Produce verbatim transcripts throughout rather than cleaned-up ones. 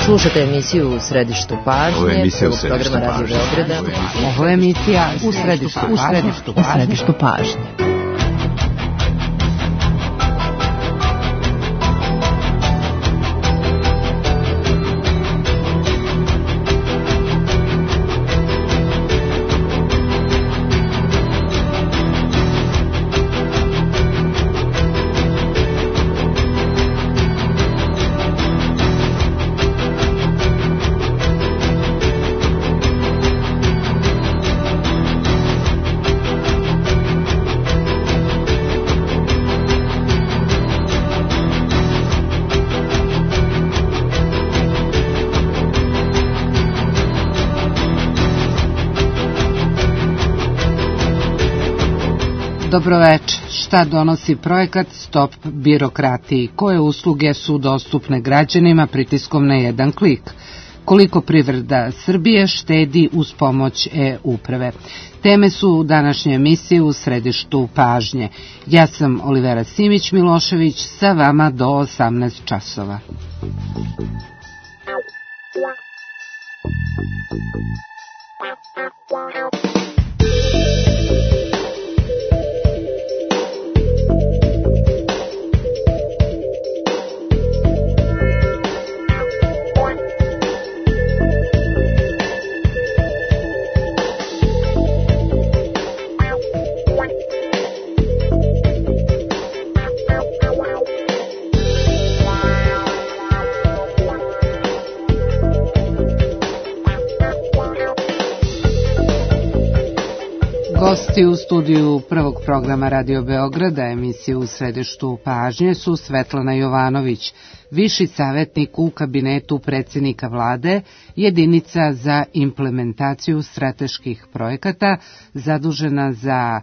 Slušate emisiju U središtu pažnje. Ovo je emisija U središtu programa Radio Beograda. Ovo je emisija U središtu pažnje. U središtu pažnje. Dobroveče. Šta donosi projekat Stop birokratiji? Koje usluge su dostupne građanima pritiskom na jedan klik? Koliko privreda Srbije štedi uz pomoć e-uprave? Teme su u današnjoj emisiji U središtu pažnje. Ja sam Olivera Simić-Milošević, sa vama do osamnaest časova. Gosti u studiju prvog programa Radio Beograda, emisije U središtu pažnje, su Svetlana Jovanović, viši savjetnik u kabinetu predsjednika vlade, jedinica za implementaciju strateških projekata, zadužena za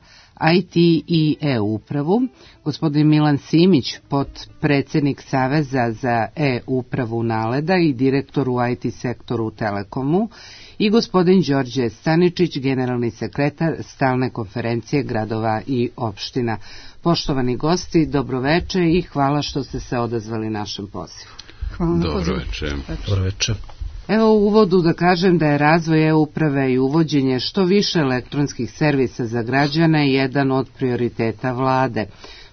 I T i e-upravu, gospodin Milan Simić, potpredsjednik Saveza za e-upravu NALED-a i direktor u I T sektoru u Telekomu, i gospodin Đorđe Staničić, generalni sekretar Stalne konferencije gradova i opština. Poštovani gosti, dobroveče i hvala što ste se odazvali našem pozivu. Hvala. Dobroveče. Dobroveče. Evo u uvodu da kažem da je razvoj e-uprave i uvođenje što više elektronskih servisa za građane jedan od prioriteta vlade.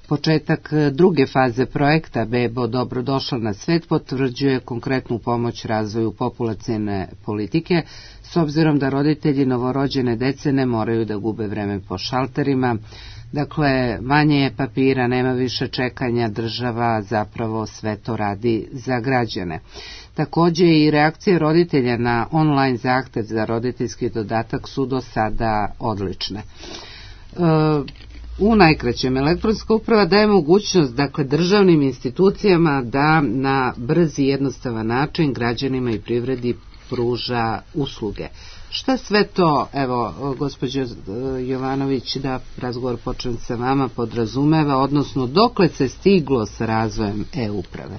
Početak druge faze projekta Bebo dobrodošla na svet potvrđuje konkretnu pomoć razvoju populacione politike, s obzirom da roditelji novorođene dece ne moraju da gube vreme po šalterima. Dakle, manje je papira, nema više čekanja, država zapravo sve to radi za građane. Također i reakcije roditelja na online zahtev za roditeljski dodatak su do sada odlične. E, U najkraćem, elektronska uprava daje mogućnost, dakle, državnim institucijama da na brz i jednostavan način građanima i privredi pruža usluge. Šta sve to, evo, gospođo Jovanović, da razgovor počnem sa vama, podrazumeva, odnosno dokle se stiglo sa razvojem e-uprave?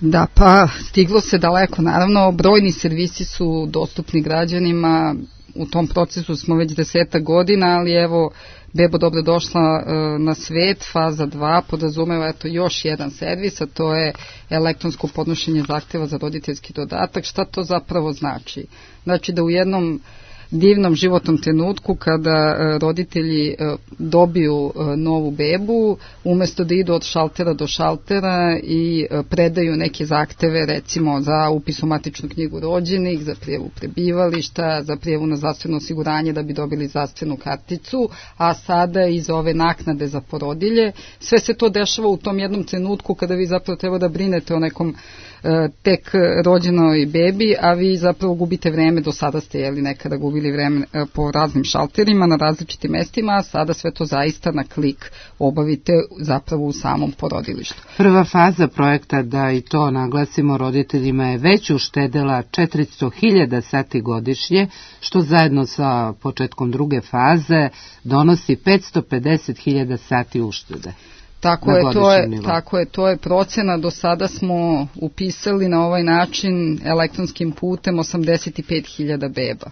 Da, pa stiglo se daleko. Naravno, brojni servisi su dostupni građanima, u tom procesu smo već desetak godina, ali evo, Bebo dobrodošla e, na svet, faza dva podrazumeva eto još jedan servis, a to je elektronsko podnošenje zahtjeva za roditeljski dodatak. Šta to zapravo znači? Znači da u jednom divnom životnom trenutku kada roditelji dobiju novu bebu, umjesto da idu od šaltera do šaltera i predaju neke zahteve, recimo za upis u matičnu knjigu rođenih, za prijavu prebivališta, za prijavu na zdravstveno osiguranje da bi dobili zdravstvenu karticu, a sada iz ove naknade za porodilje, sve se to dešava u tom jednom trenutku kada vi zapravo treba da brinete o nekom tek rođenoj bebi, a vi zapravo gubite vreme. Do sada ste jeli nekada gubili vreme po raznim šalterima na različitim mestima, a sada sve to zaista na klik obavite zapravo u samom porodilištu. Prva faza projekta, da i to naglasimo roditeljima, je već uštedela četiristo hiljada sati godišnje, što zajedno sa početkom druge faze donosi petsto pedeset hiljada sati uštede. Tako je, to je, tako je, to je procena. Do sada smo upisali na ovaj način elektronskim putem osamdeset pet hiljada beba.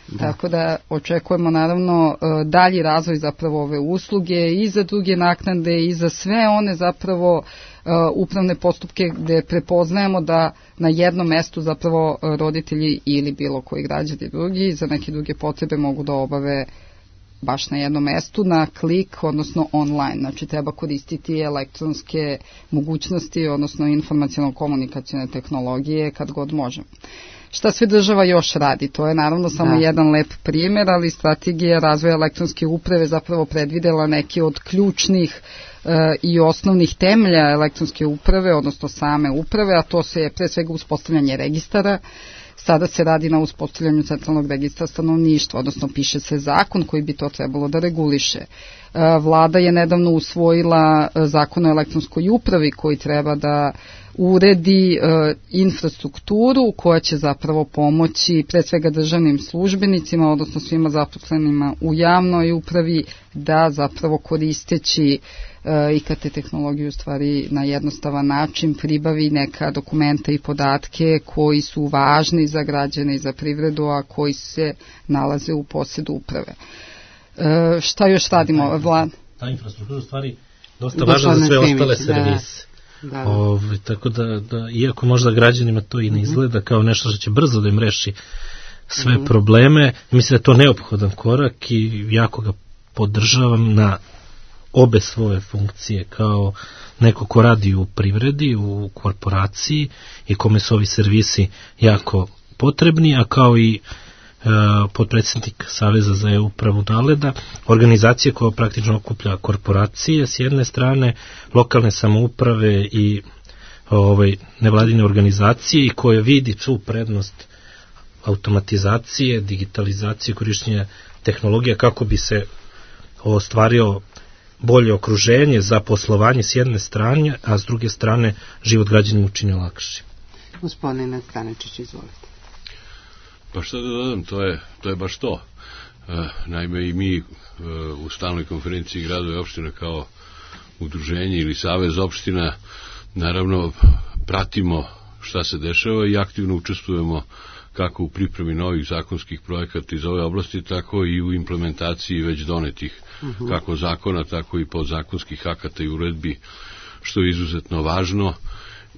Da. Tako da očekujemo naravno dalji razvoj zapravo ove usluge i za druge naknade i za sve one zapravo upravne postupke gde prepoznajemo da na jednom mestu zapravo roditelji ili bilo koji građani drugi za neke druge potrebe mogu da obave baš na jednom mestu, na klik, odnosno online. Znači, treba koristiti elektronske mogućnosti, odnosno informaciono-komunikacijne tehnologije kad god možemo. Šta sve država još radi? To je naravno samo da. jedan lep primjer, ali strategija razvoja elektronske uprave zapravo predvidela neke od ključnih e, i osnovnih temelja elektronske uprave, odnosno same uprave, a to se je pre svega uspostavljanje registara. Sada se radi na uspostavljanju centralnog registra stanovništva, odnosno piše se zakon koji bi to trebalo da reguliše. Vlada je nedavno usvojila zakon o elektronskoj upravi koji treba da uredi infrastrukturu koja će zapravo pomoći pre svega državnim službenicima, odnosno svima zaposlenima u javnoj upravi da zapravo koristeći I K T tehnologiju u stvari na jednostavan način pribavi neka dokumenta i podatke koji su važni za građane i za privredu, a koji se nalaze u posjedu uprave. E, šta još radimo? Vlad? Ta infrastruktura u stvari dosta važna za sve ostale servise. Da, da. Ove, tako da, da, iako možda građanima to i ne izgleda kao nešto što će brzo da im reši sve mm. probleme, mislim da je to neophodan korak i jako ga podržavam na obe svoje funkcije, kao neko ko radi u privredi, u korporaciji i kome su ovi servisi jako potrebni, a kao i e, potpredsjednik Saveza za e-upravu Naleda, organizacija koja praktično okuplja korporacije s jedne strane, lokalne samouprave i ovaj, nevladine organizacije i koja vidi tu prednost automatizacije, digitalizacije, korišćenja tehnologija kako bi se ostvario bolje okruženje za poslovanje s jedne strane, a s druge strane život građanima učini lakši. Gospodine Staničić, izvolite. Pa šta da dodam, to je, to je baš to. E, naime i mi e, u stalnoj konferenciji gradova i opština kao udruženje ili savez opština naravno pratimo šta se dešava i aktivno učestvujemo kako u pripremi novih zakonskih projekata iz ove oblasti, tako i u implementaciji već donetih uh-huh. kako zakona, tako i podzakonskih akata i uredbi, što je izuzetno važno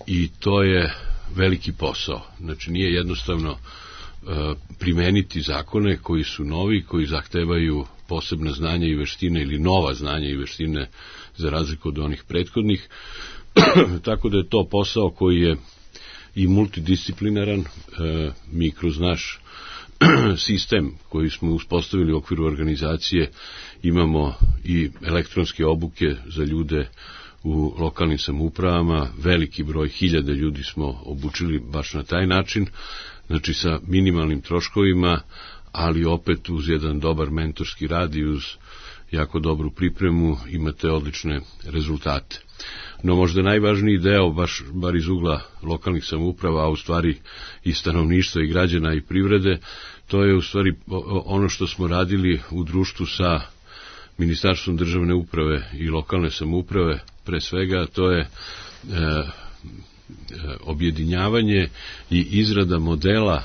i to je veliki posao. Znači nije jednostavno uh, primeniti zakone koji su novi, koji zahtevaju posebna znanja i veštine ili nova znanja i veštine za razliku od onih prethodnih. Tako da je to posao koji je i multidisciplinaran. E, mi kroz naš sistem koji smo uspostavili u okviru organizacije imamo i elektronske obuke za ljude u lokalnim samoupravama, veliki broj hiljade ljudi smo obučili baš na taj način, znači sa minimalnim troškovima, ali opet uz jedan dobar mentorski rad i uz jako dobru pripremu imate odlične rezultate. No možda najvažniji deo, baš bar iz ugla lokalnih samouprava, a u stvari i stanovništva i građana i privrede, to je u stvari ono što smo radili u društvu sa Ministarstvom državne uprave i lokalne samouprave, pre svega to je e, e, objedinjavanje i izrada modela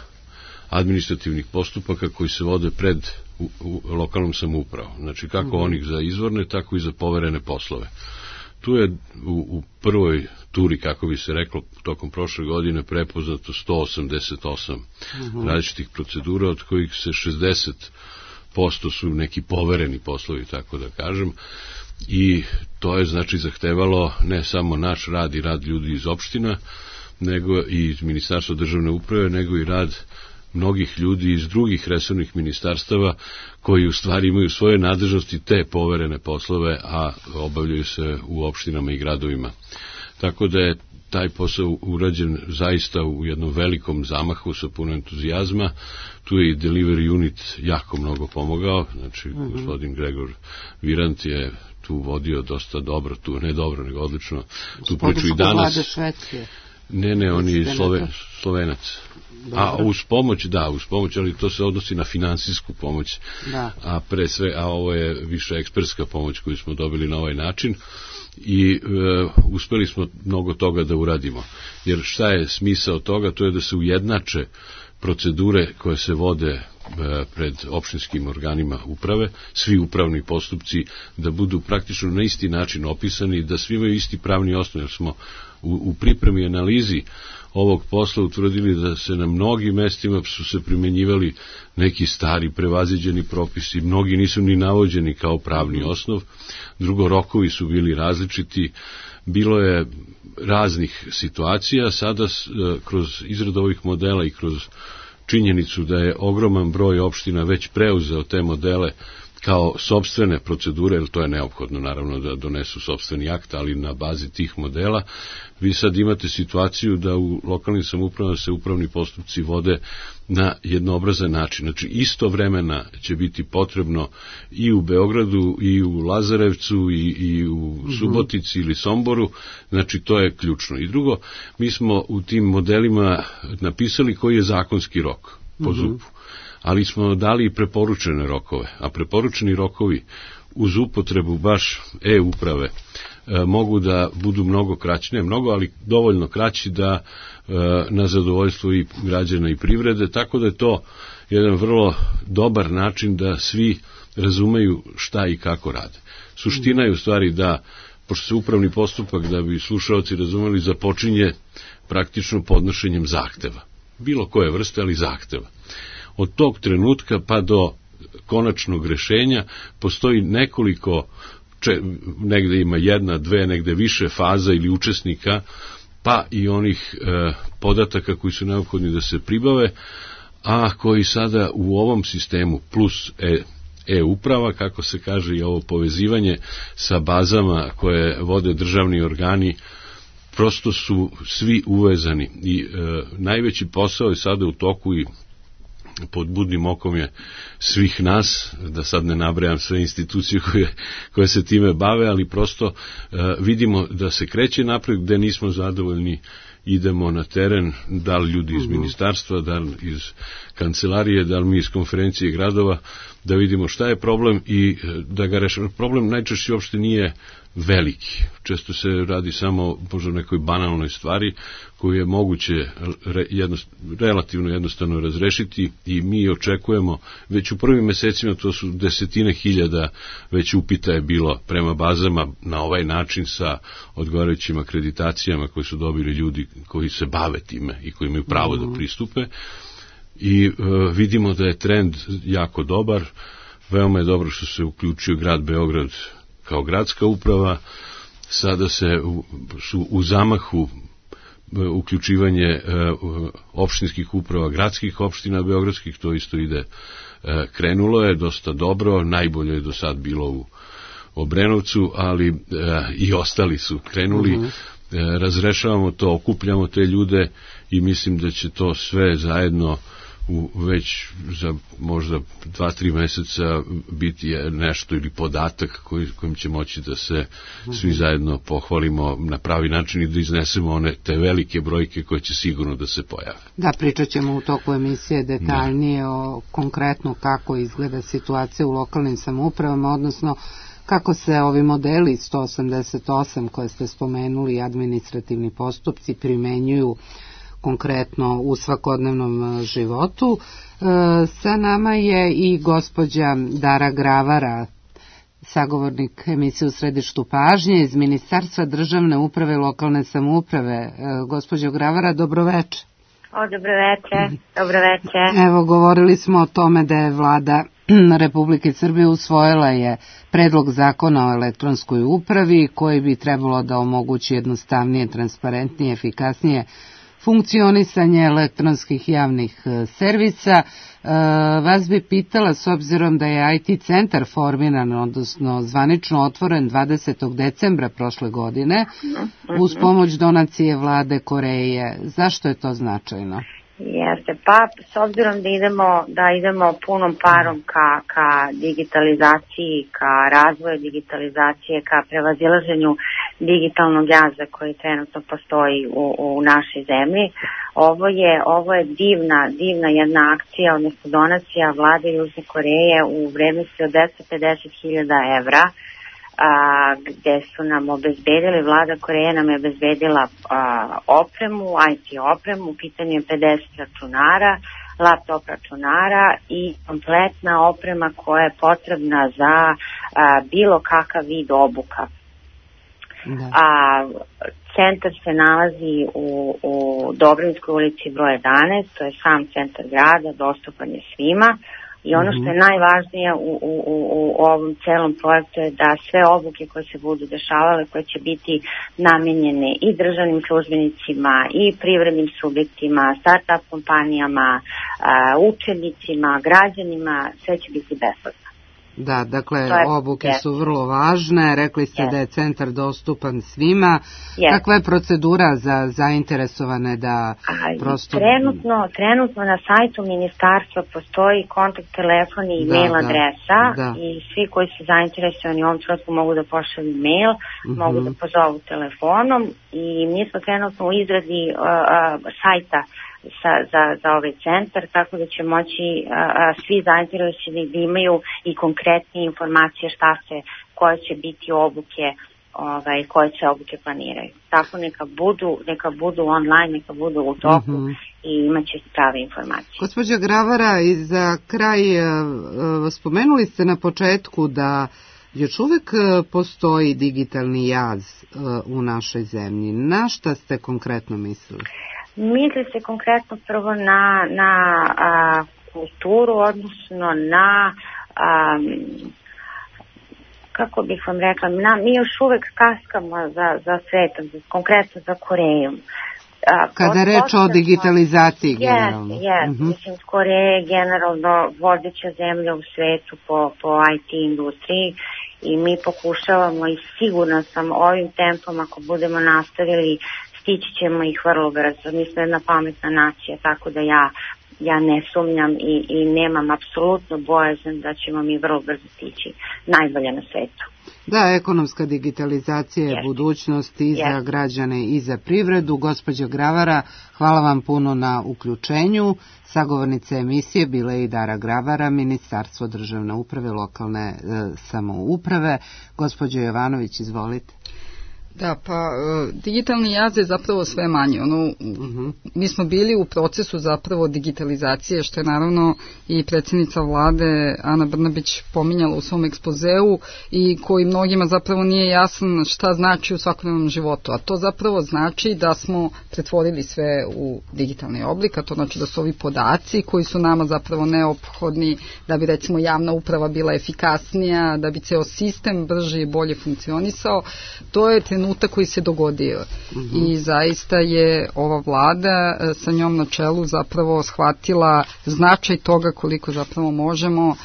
administrativnih postupaka koji se vode pred u, u lokalnom samoupravom. Znači kako onih za izvorne, tako i za poverene poslove. Tu je u, u prvoj turi, kako bi se reklo, tokom prošle godine prepoznato sto osamdeset osam uh-huh. različitih procedura, od kojih se šezdeset posto su neki povereni poslovi, tako da kažem, i to je znači zahtevalo ne samo naš rad i rad ljudi iz opština, nego i iz Ministarstva državne uprave, nego i rad mnogih ljudi iz drugih resornih ministarstava koji u stvari imaju svoje nadležnosti te poverene poslove, a obavljaju se u opštinama i gradovima. Tako da je taj posao urađen zaista u jednom velikom zamahu sa puno entuzijazma. Tu je i delivery unit jako mnogo pomogao, znači mm-hmm. gospodin Gregor Virant je tu vodio dosta dobro, tu ne dobro, nego odlično. Tu priču i danas. Ne, ne, on je Slove, Slovenac. Dobro. A uz pomoć, da, uz pomoć, ali to se odnosi na finansijsku pomoć. Da. A pre sve, a ovo je više ekspertska pomoć koju smo dobili na ovaj način i e, uspeli smo mnogo toga da uradimo. Jer šta je smisao toga? To je da se ujednače procedure koje se vode pred opštinskim organima uprave, svi upravni postupci da budu praktično na isti način opisani, da svi imaju isti pravni osnov, jer smo u, u pripremi i analizi ovog posla utvrdili da se na mnogim mestima su se primenjivali neki stari prevaziđeni propisi, mnogi nisu ni navođeni kao pravni osnov, drugo, rokovi su bili različiti, bilo je raznih situacija, sada kroz izradu ovih modela i kroz činjenicu da je ogroman broj opština već preuzeo te modele kao sopstvene procedure, jer to je neophodno naravno da donesu sopstveni akt, ali na bazi tih modela vi sad imate situaciju da u lokalnim samoupravama se upravni postupci vode na jednoobrazan način. Znači isto vremena će biti potrebno i u Beogradu, i u Lazarevcu, i, i u Subotici ili Somboru, znači to je ključno. I drugo, mi smo u tim modelima napisali koji je zakonski rok po zupu, ali smo dali i preporučene rokove, a preporučeni rokovi uz upotrebu baš e-uprave e, mogu da budu mnogo kraći, ne mnogo, ali dovoljno kraći da e, na zadovoljstvo i građana i privrede, tako da je to jedan vrlo dobar način da svi razumeju šta i kako rade. Suština je u stvari da, pošto se upravni postupak, da bi slušaoci razumeli, započinje praktično podnošenjem zahteva. Bilo koje vrste, ali zahteva. Od tog trenutka pa do konačnog rešenja postoji nekoliko, če, negde ima jedna, dve, negde više faza ili učesnika, pa i onih e, podataka koji su neophodni da se pribave, a koji sada u ovom sistemu plus e, e-uprava, kako se kaže, i ovo povezivanje sa bazama koje vode državni organi, prosto su svi uvezani i e, najveći posao je sada u toku i pod budnim okom je svih nas, da sad ne nabrajam sve institucije koje, koje se time bave, ali prosto e, vidimo da se kreće napred, gde nismo zadovoljni, idemo na teren, da li ljudi iz ministarstva, da li iz kancelarije, da li mi iz konferencije gradova, da vidimo šta je problem i da ga rešimo. Problem najčešće uopšte nije veliki. Često se radi samo možda o nekoj banalnoj stvari koju je moguće re, jednost, relativno jednostavno razrešiti i mi očekujemo, već u prvim mesecima to su desetine hiljada već upita je bilo prema bazama na ovaj način sa odgovarajućim akreditacijama koje su dobili ljudi koji se bave time i koji imaju pravo da pristupe i e, vidimo da je trend jako dobar, veoma je dobro što se uključio grad Beograd kao gradska uprava, sada se u, su u zamahu uključivanje e, opštinskih uprava gradskih opština beogradskih, to isto ide, e, krenulo je dosta dobro, najbolje je do sad bilo u Obrenovcu, ali e, i ostali su krenuli, uh-huh. e, razrešavamo to, okupljamo te ljude i mislim da će to sve zajedno u već za možda dva, tri meseca biti nešto ili podatak koji, kojim će moći da se svi zajedno pohvalimo na pravi način i da iznesemo one te velike brojke koje će sigurno da se pojave. Da, pričat ćemo u toku emisije detaljnije da. o konkretno kako izgleda situacija u lokalnim samoupravama, odnosno kako se ovi modeli sto osamdeset osam koje ste spomenuli, administrativni postupci, primenjuju konkretno u svakodnevnom životu. E, sa nama je i gospođa Dara Gravara, sagovornik emisije U središtu pažnje iz Ministarstva državne uprave i lokalne samouprave. E, gospođo Gravara, dobroveče. O, dobroveče, dobroveče. Evo, govorili smo o tome da je vlada Republike Srbije usvojila je predlog zakona o elektronskoj upravi koji bi trebalo da omogući jednostavnije, transparentnije, efikasnije funkcionisanje elektronskih javnih servisa. E, vas bi pitala, s obzirom da je I T centar formiran, odnosno zvanično otvoren dvadesetog decembra prošle godine, uz pomoć donacije vlade Koreje, zašto je to značajno? Jeste, pa s obzirom da idemo, da idemo punom parom ka, ka digitalizaciji, ka razvoju digitalizacije, ka prevazilaženju digitalnog jaza koji trenutno postoji u, u našoj zemlji, ovo je, ovo je divna, divna jedna akcija, odnosno donacija vlade Južne Koreje u vrednosti od dvesta pedeset hiljada evra, a, gde su nam obezbedili, vlada Koreje nam je obezbedila a, opremu, I T opremu, u pitanju je pedeset računara, laptop računara i kompletna oprema koja je potrebna za a, bilo kakav vid obuka. Da. A, centar se nalazi u, u Dobrinskoj ulici broj jedanaest, to je sam centar grada, dostupan je svima. I ono što je najvažnije u, u, u, u ovom celom projektu je da sve obuke koje se budu dešavale, koje će biti namenjene i državnim službenicima, i privrednim subjektima, start-up kompanijama, učenicima, građanima, sve će biti besplatno. Da, dakle, obuke su vrlo važne, rekli ste da je centar dostupan svima. Kakva je procedura za zainteresovane da prosto... Trenutno, trenutno na sajtu ministarstva postoji kontakt telefon i mail adresa i svi koji su zainteresovani u ovom trenutku mogu da pošalju mail, mogu da pozovu telefonom i mi smo trenutno u izradi sajta Sa, za, za ovaj centar, tako da će moći a, a, svi zainteresovani da imaju i konkretne informacije šta se, koje će biti obuke, ovaj, koje će obuke planiraju. Tako neka budu, neka budu online, neka budu u toku mm-hmm. i imat će prave informacije. Gospođa Gravara, i za kraj a, a, spomenuli ste na početku da još uvek postoji digitalni jaz a, u našoj zemlji. Na šta ste konkretno mislili? Misli se konkretno prvo na, na a, kulturu, odnosno na, a, kako bih vam rekla, na, mi još uvek kaskamo za, za svetom, konkretno za Korejom. A, Kada je reč o digitalizaciji yes, generalno. Yes, uh-huh. Mislim, Koreja je generalno vodeća zemlja u svetu po, po I T industriji i mi pokušavamo i sigurno sam ovim tempom, ako budemo nastavili, stići ćemo ih vrlo brzo. Mi smo jedna pametna nacija, tako da ja, ja ne sumnjam i, i nemam apsolutno bojazan da ćemo mi vrlo brzo stići najbolje na svetu. Da, ekonomska digitalizacija je yes. budućnost i yes. za građane i za privredu. Gospođo Gravara, hvala vam puno na uključenju. Sagovornica emisije bila je i Dara Gravara, Ministarstvo državne uprave, lokalne e, samouprave. Gospođo Jovanović, izvolite. Da, pa digitalni jaz je zapravo sve manje. Ono, uh-huh. Mi smo bili u procesu zapravo digitalizacije, što je naravno i predsjednica vlade Ana Brnabić pominjala u svom ekspozeu i koji mnogima zapravo nije jasan šta znači u svakodnevnom životu. A to zapravo znači da smo pretvorili sve u digitalni oblik, a to znači da su ovi podaci koji su nama zapravo neophodni da bi recimo javna uprava bila efikasnija, da bi ceo sistem brže i bolje funkcionisao. To je trenutak koji se dogodio mm-hmm. i zaista je ova vlada sa njom na čelu zapravo shvatila značaj toga koliko zapravo možemo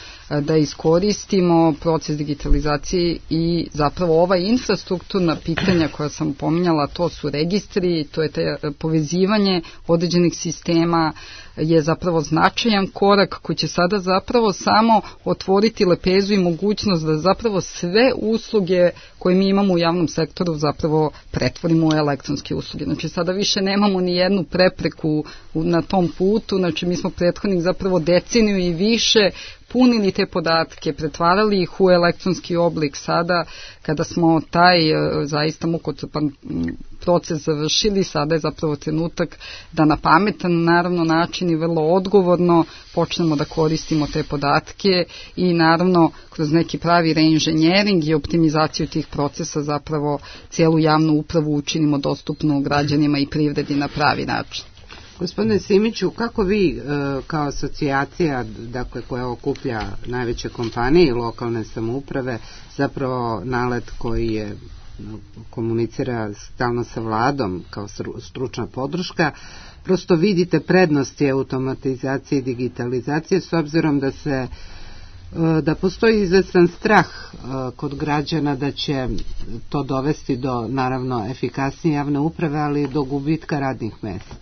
da iskoristimo proces digitalizacije i zapravo ova infrastrukturna pitanja koja sam pominjala, to su registri, to je te povezivanje određenih sistema, je zapravo značajan korak koji će sada zapravo samo otvoriti lepezu i mogućnost da zapravo sve usluge koje mi imamo u javnom sektoru zapravo pretvorimo u elektronske usluge. Znači sada više nemamo ni jednu prepreku na tom putu, znači mi smo prethodnih zapravo deceniju i više punili te podatke, pretvarali ih u elektronski oblik. Sada, kada smo taj zaista mukotrpan proces završili, sada je zapravo trenutak da na pametan, naravno, način i vrlo odgovorno počnemo da koristimo te podatke i naravno kroz neki pravi reinženjering i optimizaciju tih procesa zapravo cijelu javnu upravu učinimo dostupnu građanima i privredi na pravi način. Gospodine Simiću, kako vi kao asocijacija, dakle, koja okuplja najveće kompanije i lokalne samouprave, zapravo nalet koji je komunicira stalno sa vladom kao stručna podrška, prosto vidite prednosti automatizacije i digitalizacije s obzirom da se da postoji izvestan strah kod građana da će to dovesti do, naravno, efikasnije javne uprave, ali do gubitka radnih mesta.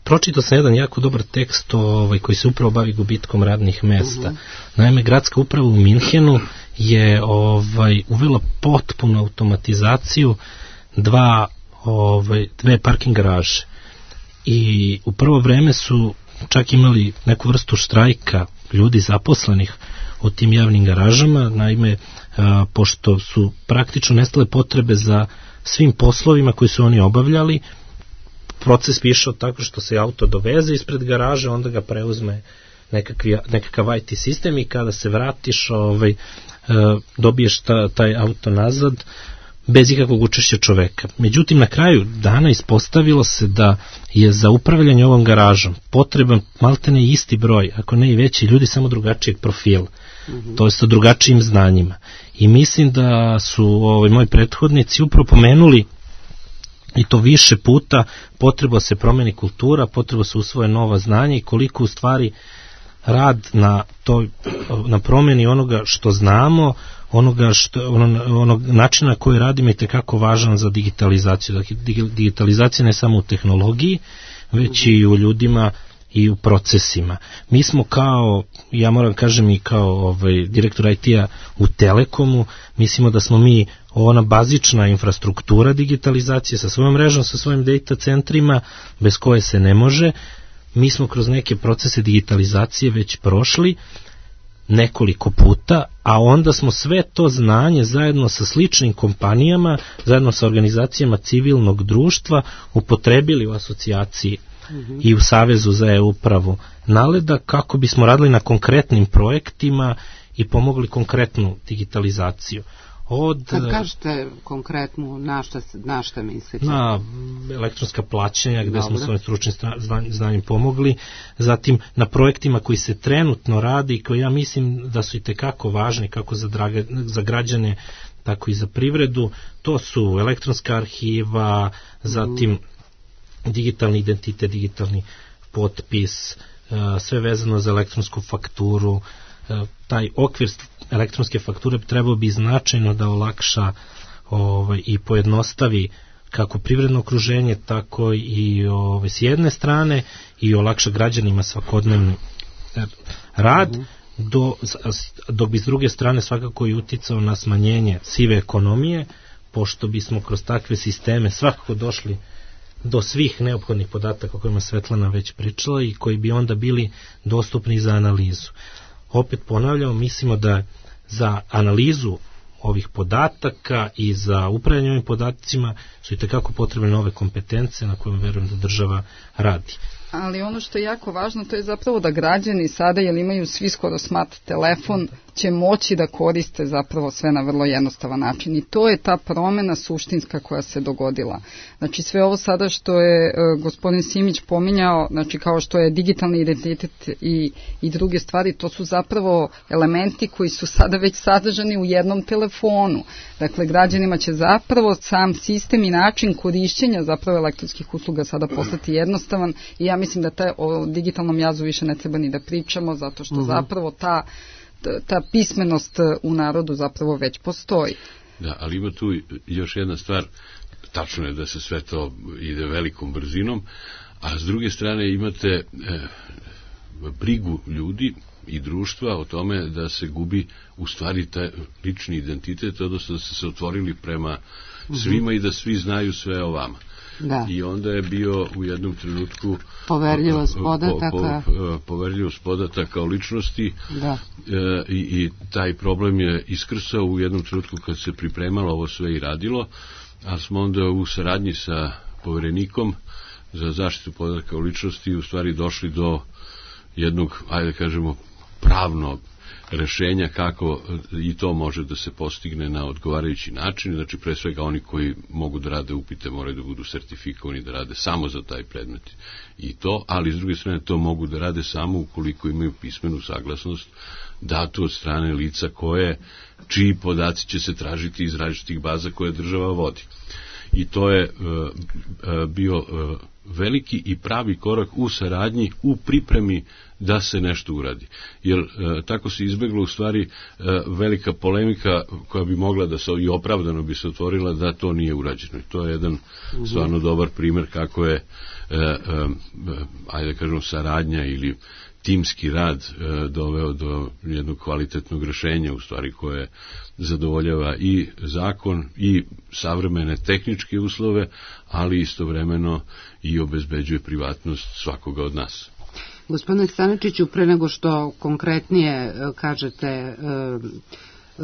Pročitao sam jedan jako dobar tekst ovaj, koji se upravo bavi gubitkom radnih mesta. Uh-huh. Naime, gradska uprava u Minhenu je ovaj, uvela potpunu automatizaciju dva, ovaj, dve parking garaže. I u prvo vreme su čak imali neku vrstu štrajka ljudi zaposlenih u tim javnim garažama, naime, a, pošto su praktično nestale potrebe za svim poslovima koji su oni obavljali, proces bi išao tako što se auto doveze ispred garaže, onda ga preuzme nekakvi, nekakav I T sistem i kada se vratiš ovaj, dobiješ ta, taj auto nazad bez ikakvog učešća čoveka. Međutim, na kraju dana ispostavilo se da je za upravljanje ovom garažom potreban maltene isti broj, ako ne i veći, ljudi samo drugačijeg profila, mm-hmm. to je sa drugačijim znanjima. I mislim da su ovaj, moji prethodnici upravo pomenuli i to više puta, potreba se promeni kultura, potreba se usvoje nova znanja i koliko u stvari rad na toj, na promeni onoga što znamo, onoga što, ono, onog načina koji radimo je tekako važan za digitalizaciju. Dakle, digitalizacija ne samo u tehnologiji, već i u ljudima i u procesima. Mi smo kao, ja moram kažem i kao ovaj, direktor I T-a u Telekomu, mislimo da smo mi ona bazična infrastruktura digitalizacije sa svojom mrežom, sa svojim data centrima, bez koje se ne može. Mi smo kroz neke procese digitalizacije već prošli nekoliko puta, a onda smo sve to znanje zajedno sa sličnim kompanijama, zajedno sa organizacijama civilnog društva upotrebili u asocijaciji mm-hmm. i u Savezu za e-upravu NALED-a kako bismo radili na konkretnim projektima i pomogli konkretnu digitalizaciju. Od, Kad kažete konkretno, na šta, na šta mislite? Na elektronska plaćanja, gde Dobre. smo svojim stručnim znanjem pomogli, zatim na projektima koji se trenutno radi i koji ja mislim da su i tekako važni kako za, draga, za građane, tako i za privredu. To su elektronska arhiva, zatim mm. digitalni identitet, digitalni potpis, sve vezano za elektronsku fakturu. Taj okvir elektronske fakture trebao bi značajno da olakša ovaj, i pojednostavi kako privredno okruženje, tako i ovaj, s jedne strane i olakša građanima svakodnevni rad, do, dok bi s druge strane svakako i uticao na smanjenje sive ekonomije, pošto bismo kroz takve sisteme svakako došli do svih neophodnih podataka o kojima Svetlana već pričala i koji bi onda bili dostupni za analizu. Opet ponavljamo, mislimo da za analizu ovih podataka i za upravljanje ovim podacima su i tekako potrebne nove kompetencije na kojima verujem da država radi. Ali ono što je jako važno, to je zapravo da građani sada, jer imaju svi skoro smart telefon, će moći da koriste zapravo sve na vrlo jednostavan način. I to je ta promena suštinska koja se dogodila. Znači sve ovo sada što je e, gospodin Simić pominjao, znači kao što je digitalni identitet i, i druge stvari, to su zapravo elementi koji su sada već sadržani u jednom telefonu. Dakle, građanima će zapravo sam sistem i način korišćenja zapravo elektronskih usluga sada postati jednostavan i ja mislim da taj, o digitalnom jazu više ne treba ni da pričamo, zato što uh-huh. zapravo ta, ta pismenost u narodu zapravo već postoji. Da, ali ima tu još jedna stvar, tačno je da se sve to ide velikom brzinom, a s druge strane imate e, brigu ljudi i društva o tome da se gubi u stvari taj lični identitet, odnosno da se se otvorili prema svima uh-huh. i da svi znaju sve o vama. Da. I onda je bio u jednom trenutku poverljivost podataka po, po, poverljivost podataka o ličnosti da. E, i, i taj problem je iskrsao u jednom trenutku kad se pripremalo ovo sve i radilo, a smo onda u saradnji sa poverenikom za zaštitu podataka o ličnosti u stvari došli do jednog, ajde kažemo, pravnog rešenja kako i to može da se postigne na odgovarajući način. Znači, pre svega oni koji mogu da rade upite moraju da budu sertifikovani da rade samo za taj predmet i to, ali s druge strane to mogu da rade samo ukoliko imaju pismenu saglasnost datu od strane lica koje, čiji podaci će se tražiti iz različitih baza koje država vodi. I to je uh, uh, bio uh, veliki i pravi korak u saradnji, u pripremi da se nešto uradi. Jer uh, tako se izbeglo u stvari uh, velika polemika koja bi mogla da se i opravdano bi se otvorila da to nije urađeno. I to je jedan uh-huh. stvarno dobar primer kako je uh, uh, ajde da kažemo saradnja ili timski rad e, doveo do jednog kvalitetnog rešenja u stvari koje zadovoljava i zakon i savremene tehničke uslove, ali istovremeno i obezbeđuje privatnost svakoga od nas. Gospodine Staničiću, pre nego što konkretnije kažete e,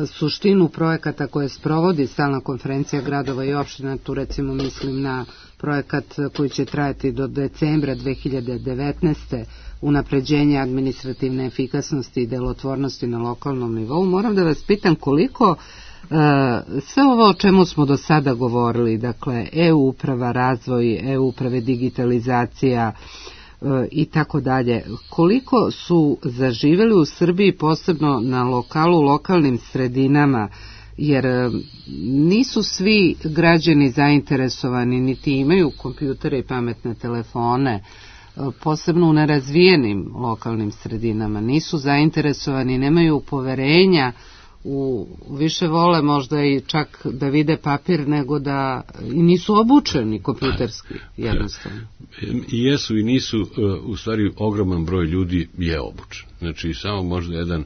suštinu projekata koje sprovodi stalna konferencija gradova i opština, tu recimo mislim na projekat koji će trajati do decembra dve hiljade devetnaeste. unapređenje administrativne efikasnosti i delotvornosti na lokalnom nivou. Moram da vas pitam koliko e, sve ovo o čemu smo do sada govorili, dakle e-uprava, razvoj e-uprave, digitalizacija e, i tako dalje, koliko su zaživeli u Srbiji, posebno na lokalu, lokalnim sredinama, jer nisu svi građani zainteresovani, niti imaju kompjutere i pametne telefone, posebno u nerazvijenim lokalnim sredinama, nisu zainteresovani, nemaju poverenja, u, više vole možda i čak da vide papir nego da, i nisu obučeni kompjuterski, jednostavno. I jesu i nisu, u stvari ogroman broj ljudi je obučen. Znači samo možda jedan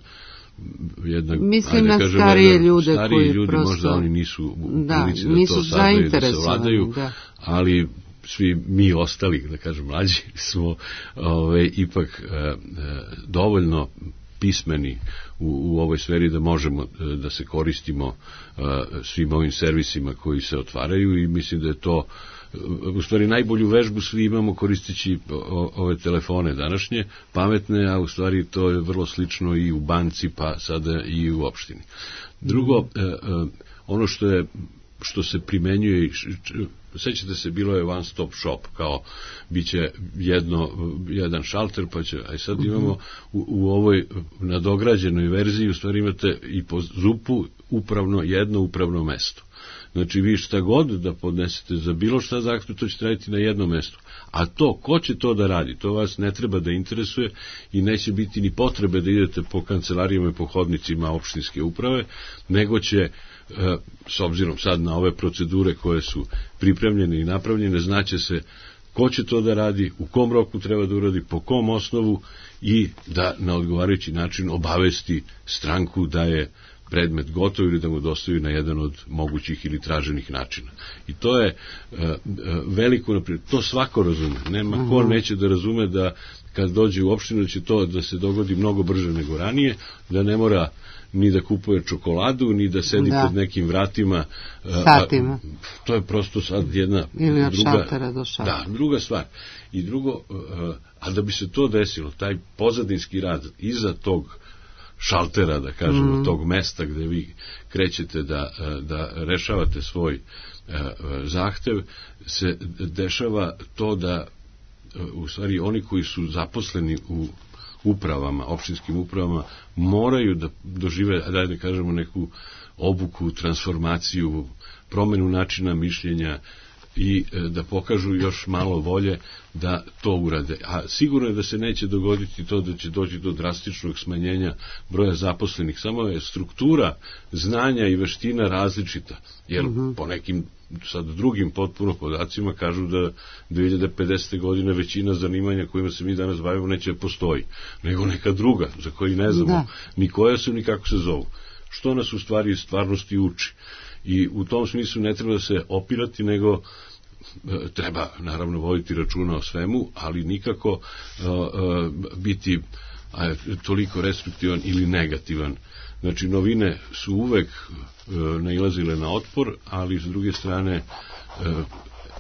Jedna, mislim na kažem, starije ljude stariji koji ljudi prosto, možda oni nisu u da, prilici da nisu to saznaju, da se vladaju, da. Ali svi mi ostali, da kažem mlađi, smo ove, ipak e, e, dovoljno pismeni u, u ovoj sferi da možemo e, da se koristimo e, svim ovim servisima koji se otvaraju i mislim da je to u stvari najbolju vežbu svi imamo koristeći ove telefone današnje, pametne, a u stvari to je vrlo slično i u banci, pa sada i u opštini. Drugo, ono što je što se primenjuje, sećate se, bilo je one stop shop, kao biće jedno, jedan šalter, pa će, a sad imamo u, u ovoj nadograđenoj verziji, u stvari imate i po zupu upravno, jedno upravno mesto. Znači vi šta god da podnesete za bilo šta zahtev, to ćete raditi na jednom mestu. A to, ko će to da radi, to vas ne treba da interesuje i neće biti ni potrebe da idete po kancelarijama i po hodnicima opštinske uprave, nego će, s obzirom sad na ove procedure koje su pripremljene i napravljene, znaće se ko će to da radi, u kom roku treba da uradi, po kom osnovu i da na odgovarajući način obavesti stranku da je predmet gotov ili da mu dostavi na jedan od mogućih ili traženih načina. I to je uh, veliko naprijed. To svako razume. Nema ko neće da razume da kad dođe u opštinu će to da se dogodi mnogo brže nego ranije, da ne mora ni da kupuje čokoladu, ni da sedi da. pod nekim vratima. Satima. A, to je prosto sad jedna ili od druga, šaltera do šaltera. Da, druga stvar. I drugo, uh, a da bi se to desilo, taj pozadinski rad iza tog šaltera, da kažemo, mm. tog mesta gde vi krećete da, da rešavate svoj uh, zahtev, se dešava to da uh, u stvari oni koji su zaposleni u upravama, opštinskim upravama, moraju da dožive, da ne kažemo, neku obuku, transformaciju, promenu načina mišljenja i da pokažu još malo volje da to urade. A sigurno je da se neće dogoditi to da će doći do drastičnog smanjenja broja zaposlenih. Samo je struktura znanja i veština različita. Jer uh-huh. po nekim sad drugim potpuno podacima kažu da dve hiljade pedesete. godine većina zanimanja kojima se mi danas bavimo neće postoji, nego neka druga za koji ne znamo da. ni koja su ni kako se zovu. Što nas u stvari stvarnosti uči. I u tom smislu ne treba da se opirati, nego e, treba naravno voditi računa o svemu, ali nikako e, e, biti a, toliko restriktivan ili negativan. Znači, novine su uvek e, nailazile na otpor, ali s druge strane e,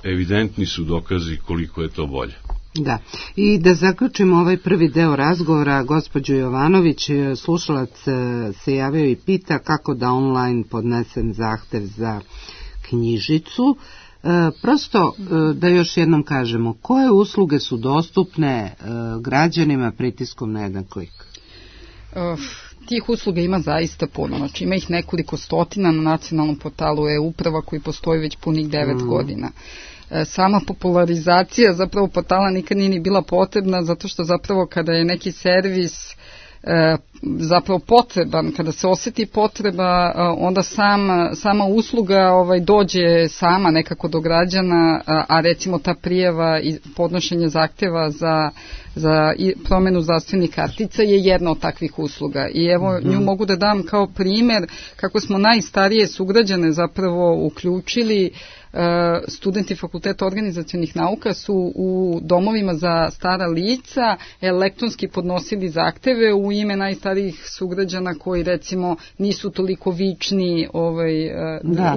evidentni su dokazi koliko je to bolje. Da, i da zaključimo ovaj prvi deo razgovora, gospođo Jovanović, slušalac se javio i pita kako da online podnesem zahtev za knjižicu. E, prosto e, da još jednom kažemo, koje usluge su dostupne e, građanima pritiskom na jedan klik? Uf. Tih usluga ima zaista puno, znači ima ih nekoliko stotina na nacionalnom portalu e-uprava koji postoji već punih devet mm. godina. Sama popularizacija zapravo portala nikad nije ni bila potrebna, zato što zapravo kada je neki servis e, zapravo potreban, kada se osjeti potreba, onda sam, sama usluga ovaj, dođe sama nekako do građana, a, a recimo ta prijava i podnošenje zahtjeva za, za promenu zdravstvenih kartica je jedna od takvih usluga. I evo mm-hmm. nju mogu da dam kao primjer kako smo najstarije sugrađane zapravo uključili. Studenti Fakulteta organizacionih nauka su u domovima za stara lica elektronski podnosili zahteve u ime najstarijih starijih sugrađana koji recimo nisu toliko vični ovaj,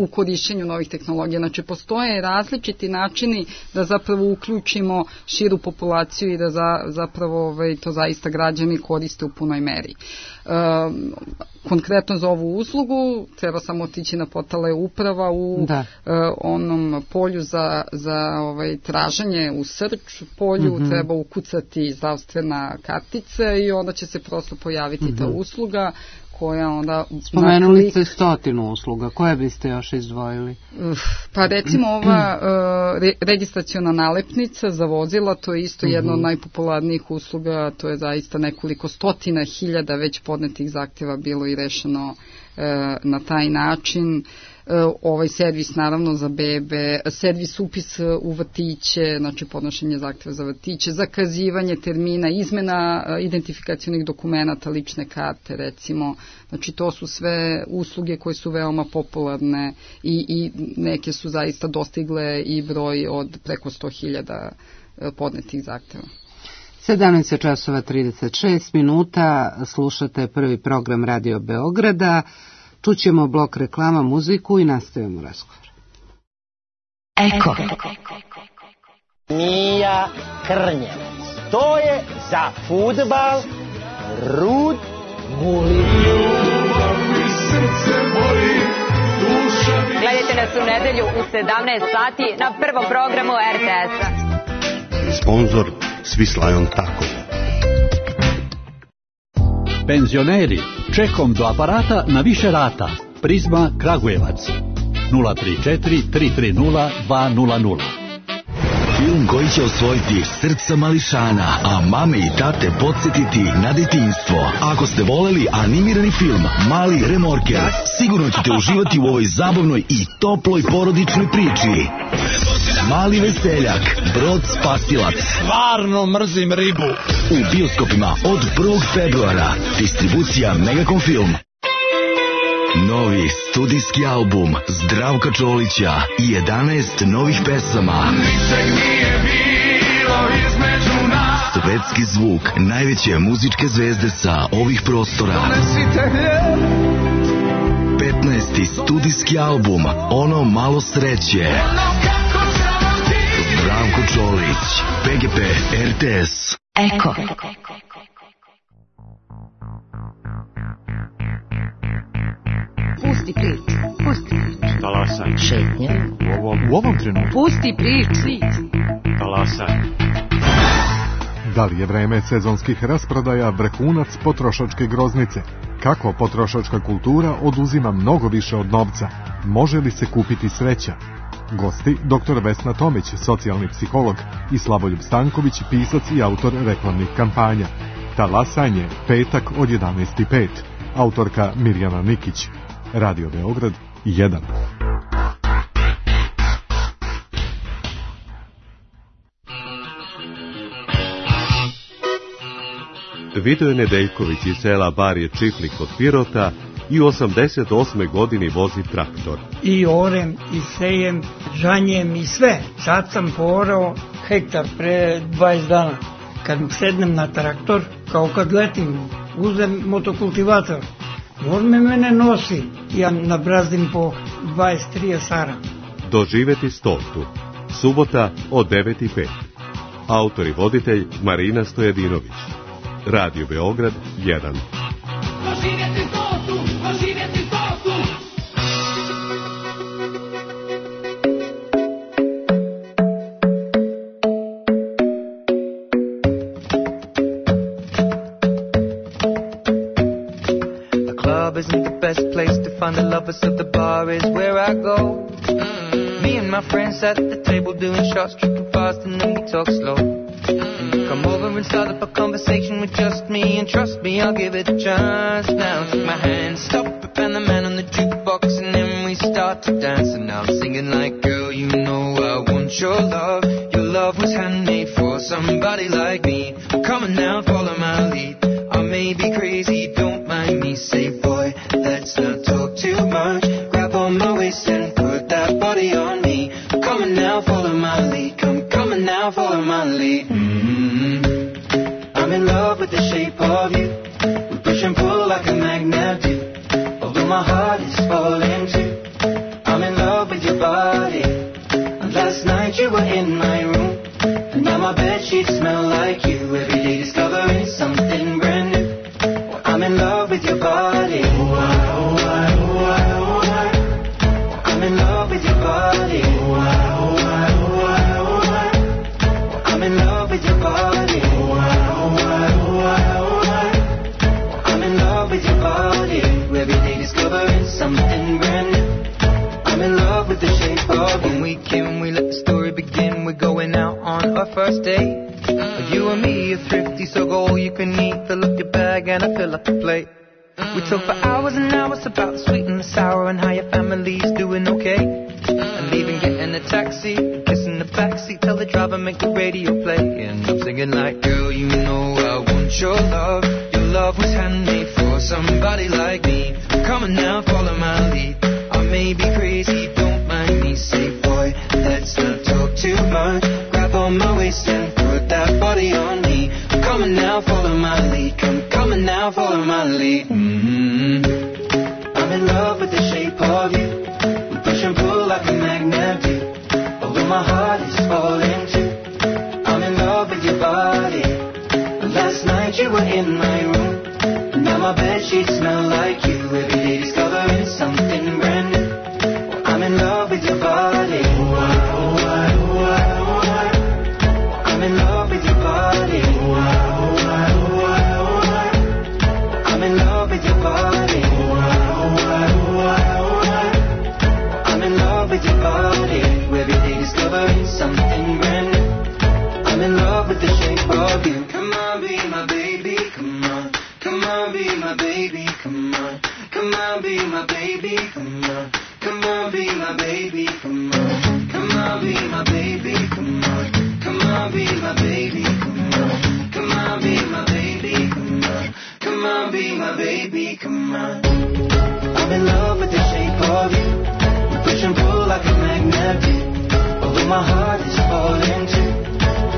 u korišćenju novih tehnologija. Znači postoje različiti načini da zapravo uključimo širu populaciju i da za, zapravo ovaj, to zaista građani koriste u punoj meri. Um, konkretno za ovu uslugu treba samo otići na portale uprava u uh, onom polju za, za ovaj, traženje u search polju mm-hmm. treba ukucati zdravstvena kartica i onda će se prosto pojaviti mm-hmm. ta usluga koja onda... Spomenuli naklik... ste stotinu usluga, koje biste još izdvojili? Pa recimo ova uh, re, registraciona nalepnica za vozila, to je isto jedna uh-huh. od najpopularnijih usluga, to je zaista nekoliko stotina hiljada već podnetih zahtjeva bilo i rešeno uh, na taj način. Ovaj servis naravno za bebe, servis upis u vrtiće, znači podnošenje zahtjeva za vrtiće, zakazivanje termina, izmena identifikacionih dokumenata, lične karte recimo, znači to su sve usluge koje su veoma popularne i, i neke su zaista dostigle i broj od preko sto hiljada podnetih zahtjeva. sedamnaest časova trideset šest minuta, slušate prvi program Radio Beograda. Čućemo blok reklama, muziku i nastavimo razgovor. Eko. Mija Krnjevac. To je za fudbal Rud Gulin. Gledajte nas u nedelju u sedamnaest sati na prvom programu er te es-a. Sponzor Swiss Tako. Penzioneri, čekom do aparata na više rata. Prizma Kragujevac. nula tri četiri tri tri nula dva nula nula. Film koji će osvojiti srca mališana, a mame i tate podsjetiti na detinjstvo. Ako ste voleli animirani film Mali remorker, sigurno ćete uživati u ovoj zabavnoj i toploj porodičnoj priči. Mali veseljak, Brod spasilac. Stvarno mrzim ribu. U bioskopima od prvog februara. Distribucija Megacom Film. Novi studijski album Zdravka Čolića i jedanaest novih pesama. Ničeg nije bilo između nas. Svetski zvuk najveće muzičke zvezde sa ovih prostora. petnaesti studijski album Ono malo sreće. Zdravko Čolić, pe ge pe, er te es. Eko. Pusti priču, pusti priču. Talasaj. Šetnja. U ovom, u ovom trenutku. Pusti priču. Talasaj. Da li je vreme sezonskih rasprodaja vrhunac potrošačke groznice? Kako potrošačka kultura oduzima mnogo više od novca? Može li se kupiti sreća? Gosti doktor Vesna Tomić, socijalni psiholog, i Slavoljub Stanković, pisac i autor reklamnih kampanja. Talasanje, petak od jedanaest i pet. Autorka Mirjana Nikić. Radio Beograd jedan. Vidoje Nedeljković iz sela Barje Čiflik kod Pirota i u osamdeset osmoj godini vozi traktor. I orem, i sejem, žanjem i sve. Sad sam porao hektar pre dvadeset dana. Kad sednem na traktor, kao kad letim, uzem motokultivator. On me mene nosi, ja nabrazdim po dvadeset trideset sara. Doživeti stotu. Subota od devet i pet. Autor i voditelj Marina Stojadinović. Radio Beograd jedan. Doživjeti stotu, doživjeti stotu. The club isn't the best place to find the lovers, so the bar is where I go. Mm-hmm. Me and my friends at the table doing shots, tripping fast, and then we talk slow. Come over and start up a conversation with just me, and trust me, I'll give it a chance. Now take my hand, stop it, and the man on the jukebox, and then we start to dance. And now I'm singing like, girl, you know I want your love. Your love was handmade for somebody like me. Come on now, follow my lead. I may be crazy, don't mind me. Say, boy, let's not talk too much. Grab on my waist and put that body on me. Come on now, follow my lead. Come, come on now, follow my lead. Mm-hmm. I'm in love with the shape of you. We push and pull you were in my room, and now my bedsheets smell like you. Every day discovering something brand new. Well, I'm in love with your body. Oh, I, oh, I, oh, I, oh, I. I'm in love with your body. Oh, I, oh, I, oh, I, oh, I. I'm in love with your body. Oh, I, oh, I, oh, I, oh, I. I'm in love with your body. Every day discovering something brand new. I'm in love with the shape of when we came, we let the story begin. We're going out on our first date. You and me are thrifty, so go all you can eat. Fill up your bag and I fill up the plate. We talk for hours and hours about the sweet and the sour and how your family's doing okay. And leaving, getting a taxi, kissing the backseat, tell the driver make the radio play. And I'm singing like, girl, you know I want your love. Your love was handmade for somebody like me. Come on now, follow my lead. I may be crazy, don't mind me. Say, boy, let's not talk too much. Grab on my waist and put that body on me. Come on now, follow my lead. Come, come on now, follow my lead. Mm-hmm. I'm in love with the shape of you. We push and pull like a magnet do. Although my heart is just falling too. I'm in love with your body. Last night you were in my room, and now my bedsheets smell like you. Every day discovering something brand new. Well, I'm in love with your body. Oh, I, oh, I, oh, I, oh, I. I'm in love with your body. Oh, I, oh, I, oh, I, oh, I. I'm in love with your body. Oh, I, oh, I, oh, I, oh, I. I'm in love with your body. Every day discovering something brand new. I'm in love with the shape of you. Come on, be my baby, come on. Come on, be my baby, come on. Come on, be my baby, come on. Come on, be my baby, come on. Come on, be my baby, come on. Come on, be my baby, come on. Come on, be my baby, come on. Come on, be my baby, come on. I'm in love with the shape of you. We push and pull like a magnet do. Although my heart is falling too.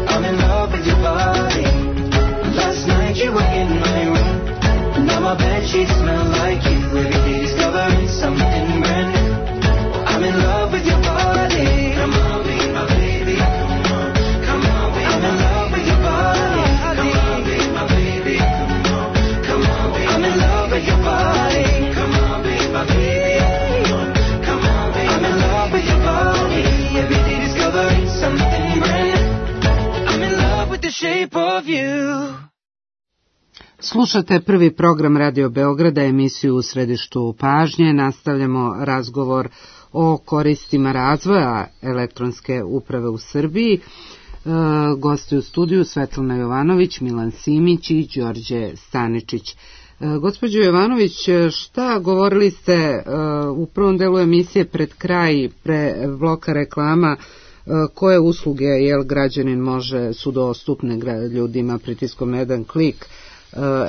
I'm in love with your body. Last night you were in my room, and now my bedsheets smell like you. Every day discovering something brand new. I'm in love with your body. Come on, be my baby. Come on, come on, be I'm in love with your body. Come on, be my baby. Come on, come on, be I'm in love with your body. Come on, be my baby. Come on, come on, be I'm in love with your body. Every day discovering something brand new. The shape of you. Slušate prvi program Radio Beograda, emisiju U središtu pažnje. Nastavljamo razgovor o koristima razvoja elektronske uprave u Srbiji. E, gosti u studiju Svetlana Jovanović, Milan Simić i Đorđe Staničić. E, gospođo Jovanović, šta govorili ste e, u prvom delu emisije pred kraj, pre bloka reklama, koje usluge jel građanin može su dostupne ljudima pritiskom jedan klik.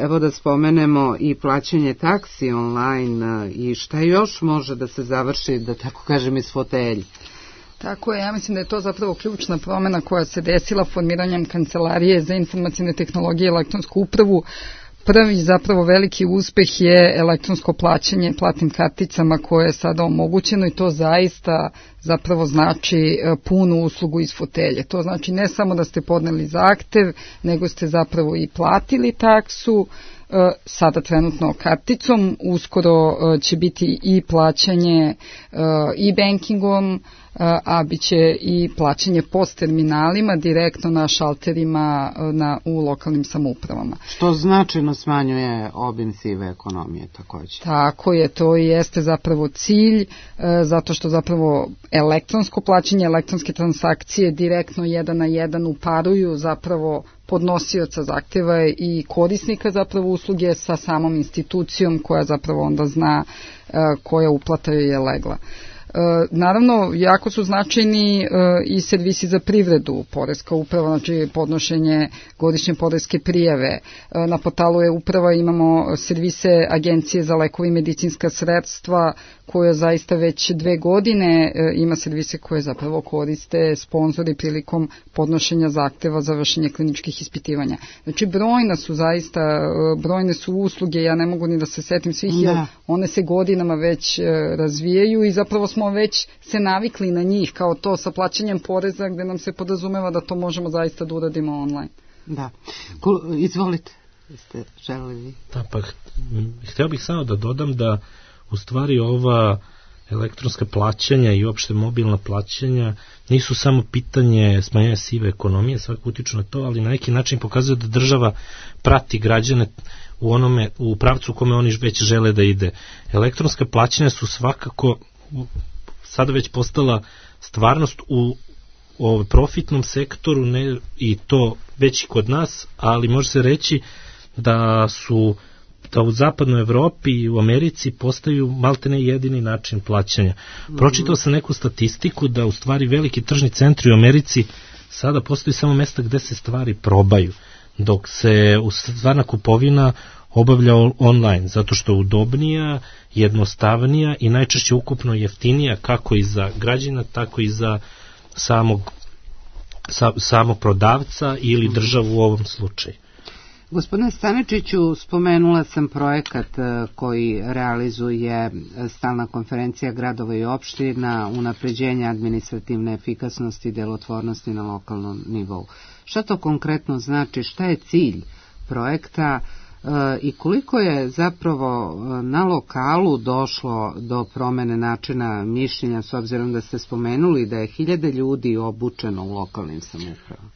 Evo da spomenemo i plaćanje taksi online i šta još može da se završi, da tako kažem, iz fotelje. Tako je, ja mislim da je to zapravo ključna promena koja se desila formiranjem Kancelarije za informacijne tehnologije i elektronsku upravu. Prvi zapravo veliki uspeh je elektronsko plaćanje platnim karticama koje je sada omogućeno i to zaista zapravo znači punu uslugu iz fotelje. To znači ne samo da ste podneli zahtev, nego ste zapravo i platili taksu, sada trenutno karticom, uskoro će biti i plaćanje e-bankingom, a bit će i plaćanje post terminalima direktno na šalterima na, u lokalnim samoupravama. Što značajno smanjuje obim sive ekonomije također. Tako je, to i jeste zapravo cilj, zato što zapravo elektronsko plaćanje, elektronske transakcije direktno jedan na jedan uparuju zapravo podnosioca zahteva i korisnika zapravo usluge sa samom institucijom koja zapravo onda zna koja uplata je legla. Naravno, jako su značajni i servisi za privredu, poreska uprava, znači podnošenje godišnje poreske prijave. Na portalu e-uprava imamo servise Agencije za lekove i medicinska sredstva koja zaista već dve godine ima servise koje zapravo koriste sponzori prilikom podnošenja zahteva za vršenje kliničkih ispitivanja. Znači, brojna su zaista, brojne su usluge, ja ne mogu ni da se setim svih, jer one se godinama već razvijaju i zapravo smo smo već se navikli na njih, kao to sa plaćanjem poreza, gde nam se podrazumeva da to možemo zaista da uradimo online. Da. Izvolite, ste želeli vi. Da, pa hteo bih samo da dodam da u stvari ova elektronska plaćanja i uopšte mobilna plaćanja nisu samo pitanje smanjenja sive ekonomije, svakako utiču na to, ali na neki način pokazuje da država prati građane u onome, u pravcu u kome oni već žele da ide. Elektronska plaćanja su svakako sada već postala stvarnost u, u profitnom sektoru, ne, i to već i kod nas, ali može se reći da su da u zapadnoj Evropi i u Americi postaju maltene jedini način plaćanja. Pročitao sam neku statistiku da u stvari veliki tržni centri u Americi sada postoji samo mesta gde se stvari probaju, dok se stvarna kupovina obavlja online, zato što je udobnija, jednostavnija i najčešće ukupno jeftinija kako i za građana, tako i za samog, sa, samog prodavca ili državu u ovom slučaju. Gospodine Staničiću, spomenula sam projekat koji realizuje Stalna konferencija gradova i opština, unapređenje administrativne efikasnosti i delotvornosti na lokalnom nivou. Šta to konkretno znači, šta je cilj projekta i koliko je zapravo na lokalu došlo do promene načina mišljenja, s obzirom da ste spomenuli da je hiljade ljudi obučeno u lokalnim samoupravama?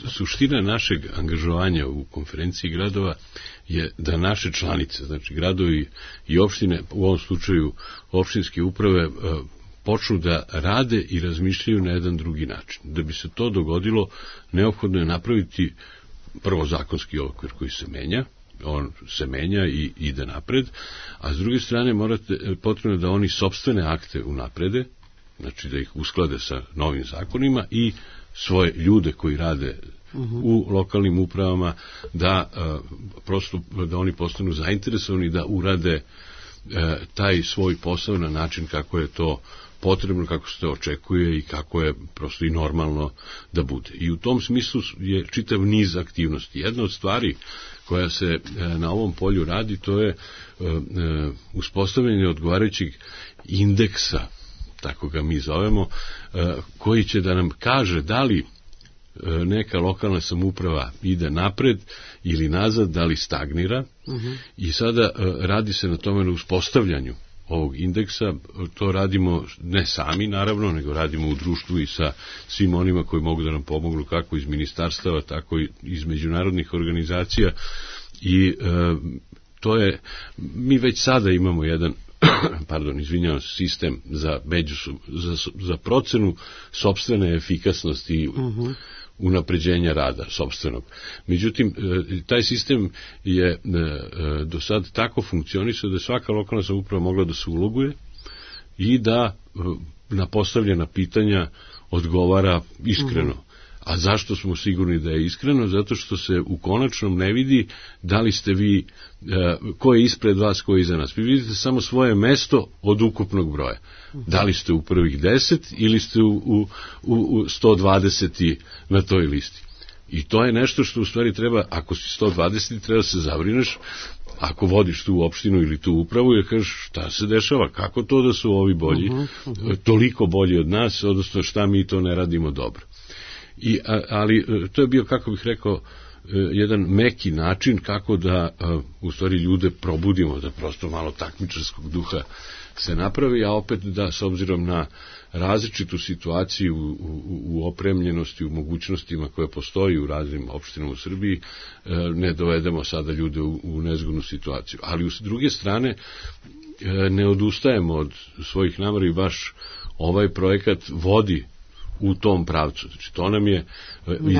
Suština našeg angažovanja u konferenciji gradova je da naše članice, znači gradovi i opštine, u ovom slučaju opštinske uprave, počnu da rade i razmišljaju na jedan drugi način. Da bi se to dogodilo, neophodno je napraviti prvo zakonski okvir koji se menja, on se menja i ide napred, a s druge strane morate, potrebno da oni sopstvene akte unaprede, znači da ih usklade sa novim zakonima i svoje ljude koji rade uh-huh. u lokalnim upravama, da uh, prosto da oni postanu zainteresovani da urade uh, taj svoj posao na način kako je to potrebno, kako se to očekuje i kako je prosto i normalno da bude. I u tom smislu je čitav niz aktivnosti. Jedna od stvari koja se uh, na ovom polju radi, to je uh, uh, uspostavljanje odgovarajućeg indeksa, tako ga mi zovemo, koji će da nam kaže da li neka lokalna samouprava ide napred ili nazad, da li stagnira. Uh-huh. I sada radi se na tome na uspostavljanju ovog indeksa. To radimo ne sami, naravno, nego radimo u društvu i sa svim onima koji mogu da nam pomognu, kako iz ministarstava, tako i iz međunarodnih organizacija. I e, to je, mi već sada imamo jedan pardon, izvinjavam se, sistem za, međusu, za, za procenu sopstvene efikasnosti i uh-huh. unapređenja rada sopstvenog. Međutim, taj sistem je do sad tako funkcionisao da je svaka lokalna samouprava mogla da se uloguje i da na postavljena pitanja odgovara iskreno. Uh-huh. A zašto smo sigurni da je iskreno? Zato što se u konačnom ne vidi da li ste vi, ko je ispred vas, ko je iza nas. Vi vidite samo svoje mesto od ukupnog broja. Da li ste u prvih deset ili ste u, u, u sto dvadeset na toj listi. I to je nešto što u stvari treba, ako si sto dvadeset, treba se zabrineš, ako vodiš tu opštinu ili tu upravu, jer kažeš šta se dešava, kako to da su ovi bolji, uh-huh, uh-huh. toliko bolji od nas, odnosno šta mi to ne radimo dobro. I, ali to je bio, kako bih rekao, jedan meki način kako da u stvari ljude probudimo, da prosto malo takmičarskog duha se napravi, a opet da s obzirom na različitu situaciju u, u, u opremljenosti, u mogućnostima koje postoji u raznim opštinama u Srbiji, ne dovedemo sada ljude u, u nezgodnu situaciju. Ali s druge strane ne odustajemo od svojih namera i baš ovaj projekat vodi u tom pravcu. Znači, to nam je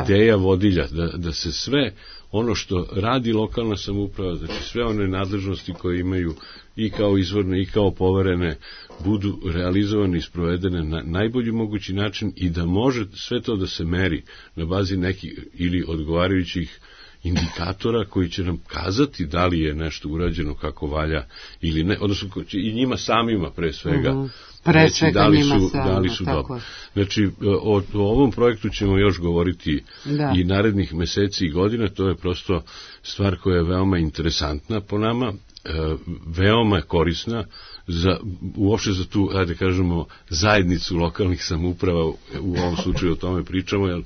ideja vodilja, da, da se sve ono što radi lokalna samouprava, znači sve one nadležnosti koje imaju i kao izvorne i kao poverene, budu realizovane i sprovedene na najbolji mogući način i da može sve to da se meri na bazi nekih ili odgovarajućih indikatora koji će nam kazati da li je nešto urađeno kako valja ili ne, odnosno i njima samima pre svega mm-hmm. pre svega da li njima su, samima, da li su dobro. Znači, o, o ovom projektu ćemo još govoriti da. i narednih meseci i godina, to je prosto stvar koja je veoma interesantna po nama, veoma korisna za, uopšte za tu, ajde kažemo, zajednicu lokalnih samouprava, u ovom slučaju o tome pričamo, jer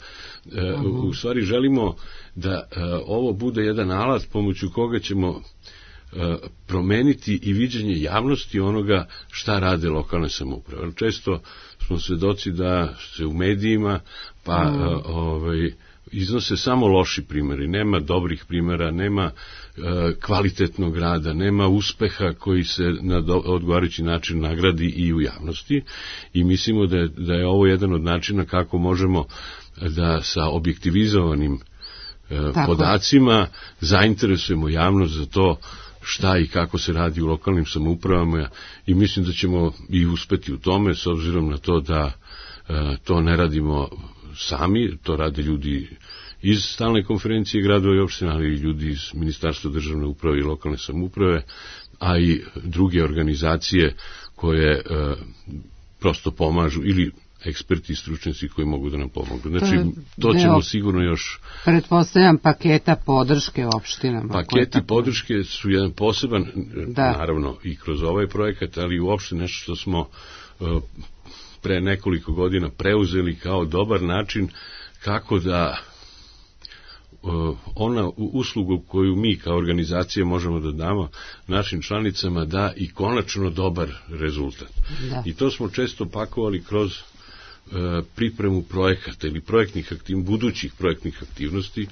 u stvari želimo da ovo bude jedan alat pomoću koga ćemo promeniti i viđenje javnosti onoga šta rade lokalne samouprave. Često smo svedoci da se u medijima pa mm. ovaj, iznose samo loši primjeri, nema dobrih primjera, nema e, kvalitetnog rada, nema uspeha koji se na do, odgovarajući način nagradi i u javnosti, i mislimo da je, da je ovo jedan od načina kako možemo da sa objektivizovanim e, podacima zainteresujemo javnost za to šta i kako se radi u lokalnim samoupravama, i mislim da ćemo i uspeti u tome, s obzirom na to da e, to ne radimo sami, to rade ljudi iz stalne konferencije gradova i opština, ali i ljudi iz Ministarstva državne uprave i lokalne samouprave, a i druge organizacije koje e, prosto pomažu, ili eksperti i stručnjaci koji mogu da nam pomognu. Znači, to ćemo sigurno još... Pretpostavljam paketa podrške opštinama. Paketi podrške su jedan poseban, da. Naravno, i kroz ovaj projekat, ali uopšte nešto što smo uh, pre nekoliko godina preuzeli kao dobar način kako da uh, ona uslugu koju mi kao organizacija možemo da damo našim članicama da i konačno dobar rezultat. Da. I to smo često pakovali kroz pripremu projekata ili projektnih aktiv, budućih projektnih aktivnosti,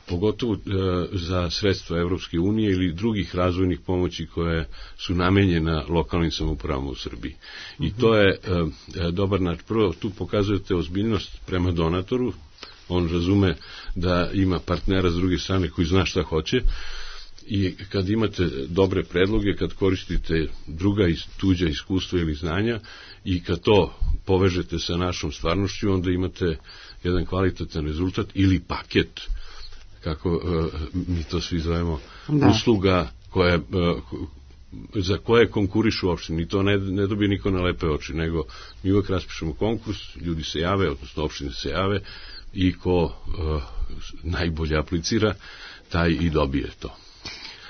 pogotovo e, za sredstva Evropske unije ili drugih razvojnih pomoći koje su namenjena lokalnim samoupravama u Srbiji. I mm-hmm. to je e, dobar način. Prvo, tu pokazujete ozbiljnost prema donatoru, on razume da ima partnera s druge strane koji zna šta hoće, i kad imate dobre predloge, kad koristite druga i tuđa iskustva ili znanja i kad to povežete sa našom stvarnošću, onda imate jedan kvalitetan rezultat ili paket, kako uh, mi to svi zovemo, da. usluga koje, uh, za koje konkurišu opštine. I to ne, ne dobije niko na lepe oči, nego mi uvek raspišemo konkurs, ljudi se jave, odnosno opštine se jave, i ko uh, najbolje aplicira, taj i dobije to.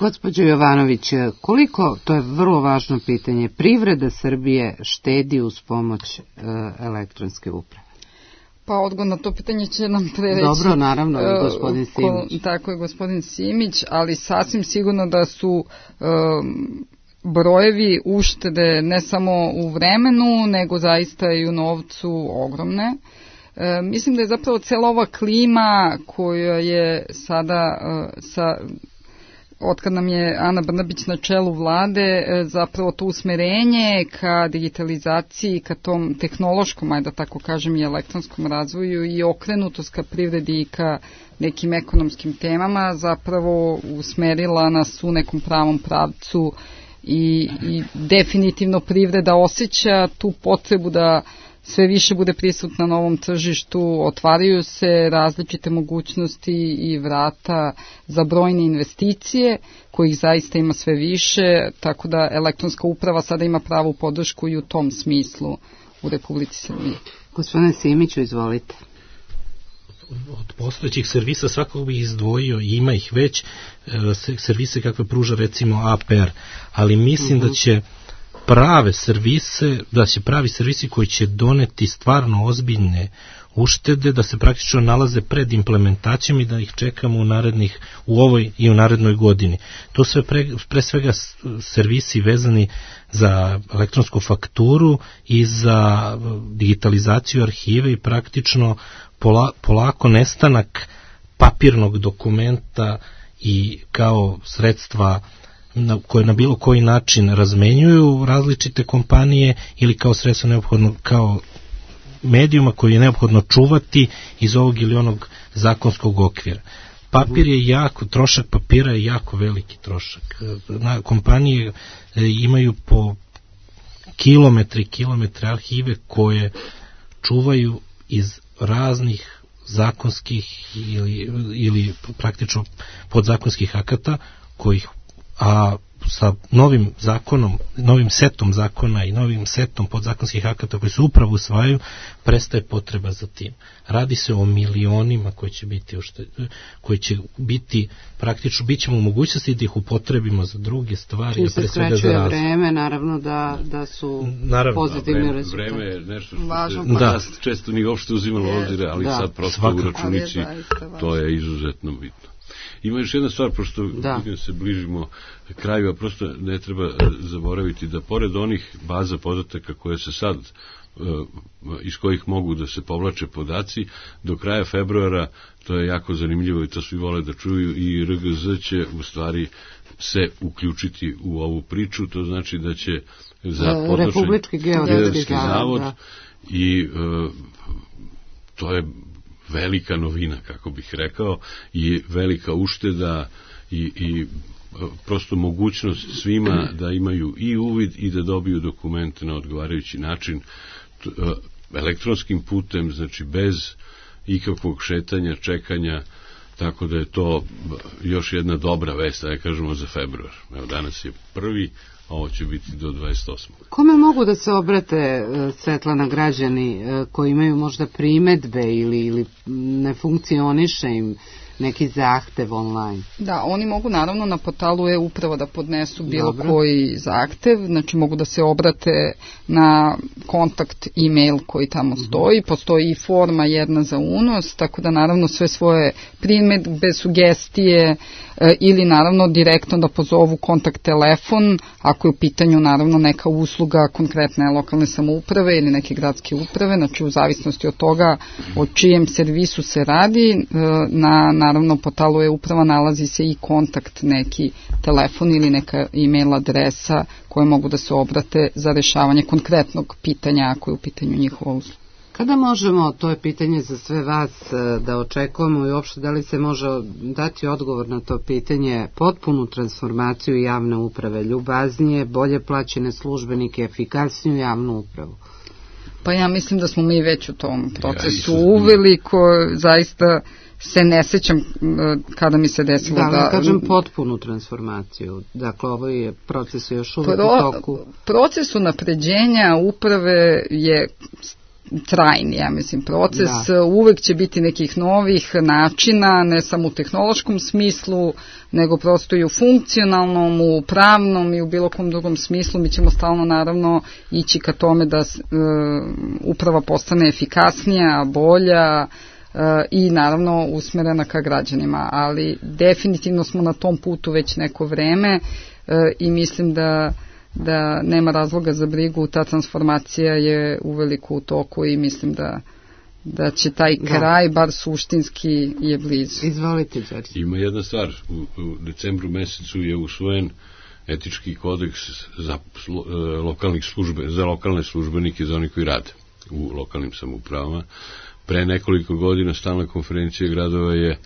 Gospođo Jovanović, koliko, to je vrlo važno pitanje, privreda Srbije štedi uz pomoć e, elektronske uprave? Pa odgovor na to pitanje će nam prereći. Dobro, naravno, i gospodin Simić. Ko, tako je, gospodin Simić, ali sasvim sigurno da su e, brojevi uštede ne samo u vremenu, nego zaista i u novcu ogromne. E, mislim da je zapravo cela ova klima koja je sada e, sa... otkad nam je Ana Brnabić na čelu vlade, zapravo to usmerenje ka digitalizaciji, ka tom tehnološkom, ajde da tako kažem, i elektronskom razvoju i okrenutost ka privredi i ka nekim ekonomskim temama, zapravo usmerila nas u nekom pravom pravcu i, i definitivno privreda osjeća tu potrebu da sve više bude prisutna na ovom tržištu, otvaraju se različite mogućnosti i vrata za brojne investicije, kojih zaista ima sve više, tako da elektronska uprava sada ima pravu podršku i u tom smislu u Republici Srbiji. Gospodine Simiću, izvolite. Od postojećih servisa svakog bih izdvojio, i ima ih već, servise kakve pruža recimo A P R, ali mislim uh-huh. da će prave servise, da će pravi servisi koji će doneti stvarno ozbiljne uštede, da se praktično nalaze pred implementacijom i da ih čekamo u narednih, u ovoj i u narednoj godini. To sve pre, pre svega servisi vezani za elektronsku fakturu i za digitalizaciju arhive i praktično pola, polako nestanak papirnog dokumenta i kao sredstva na, koje na bilo koji način razmenjuju različite kompanije ili kao sredstvo neophodno, kao medijuma koji je neophodno čuvati iz ovog ili onog zakonskog okvira. Papir je jako, trošak papira je jako veliki trošak. Na, kompanije imaju po kilometri, kilometre arhive koje čuvaju iz raznih zakonskih ili, ili praktično podzakonskih akata, kojih a sa novim zakonom, novim setom zakona i novim setom podzakonskih akata koji se upravo usvajaju, prestaje potreba za tim. Radi se o milionima koji će biti, koji će biti praktično, bit ćemo u mogućnosti da ih upotrebimo za druge stvari. Čim se skraćuje vreme, naravno da, da su naravno, pozitivni rezultati. Vreme je nešto što se da. često nije uopšte uzimalo yes. obzire, ali da. sad prosto Svakako. u računici to je izuzetno bitno. Ima još jedna stvar, pošto da. se bližimo kraju, a prosto ne treba zaboraviti da pored onih baza podataka koje se sad, iz kojih mogu da se povlače podaci, do kraja februara, to je jako zanimljivo i to svi vole da čuju, i R G Z će u stvari se uključiti u ovu priču, to znači da će za Republički geodetski zavod da. i uh, to je velika novina, kako bih rekao, i velika ušteda i, i prosto mogućnost svima da imaju i uvid i da dobiju dokumente na odgovarajući način elektronskim putem, znači bez ikakvog šetanja, čekanja, tako da je to još jedna dobra vest, da kažemo za februar. Evo, danas je prvi, a ovo će biti do dvadeset osmog Kome mogu da se obrate, Svetlana, građani koji imaju možda primedbe ili, ili ne funkcioniše im neki zahtev online? Da, oni mogu naravno na portalu e-uprava da podnesu bilo Dobro. koji zahtev, znači mogu da se obrate na kontakt e-mail koji tamo stoji, postoji i forma jedna za unos, tako da naravno sve svoje primedbe, sugestije e, ili naravno direktno da pozovu kontakt telefon, ako je u pitanju naravno neka usluga konkretne lokalne samouprave ili neke gradske uprave, znači u zavisnosti od toga o čijem servisu se radi, e, na naravno portalu e-uprava nalazi se i kontakt, neki telefon ili neka e-mail adresa koje mogu da se obrate za rešavanje konkretnog pitanja ako je u pitanju njihova usluga. Kada možemo, to je pitanje za sve vas, da očekujemo i uopšte da li se može dati odgovor na to pitanje, potpunu transformaciju javne uprave, ljubaznije, bolje plaćene službenike, efikasniju javnu upravu? Pa ja mislim da smo mi već u tom procesu uveli, ko zaista se ne sećam kada mi se desilo da... Da, kažem potpunu transformaciju. Dakle, ovo je proces još uvek Pro, u toku. Proces unapređenja uprave je trajni, ja mislim, proces. Da. Uvek će biti nekih novih načina, ne samo u tehnološkom smislu, nego prosto i u funkcionalnom, u pravnom i u bilo kom drugom smislu. Mi ćemo stalno, naravno, ići ka tome da uh, uprava postane efikasnija, bolja, Uh, i naravno usmerena ka građanima, ali definitivno smo na tom putu već neko vreme uh, i mislim da, da nema razloga za brigu, ta transformacija je uveliko u toku i mislim da, da će taj da. kraj, bar suštinski, je blizu. Izvolite, Đorđe. Ima jedna stvar, u, u decembru mesecu je usvojen etički kodeks za, uh, lokalnih službe, za lokalne službenike, za oni koji rade u lokalnim samoupravama. Pre nekoliko godina Stalna konferencija gradova je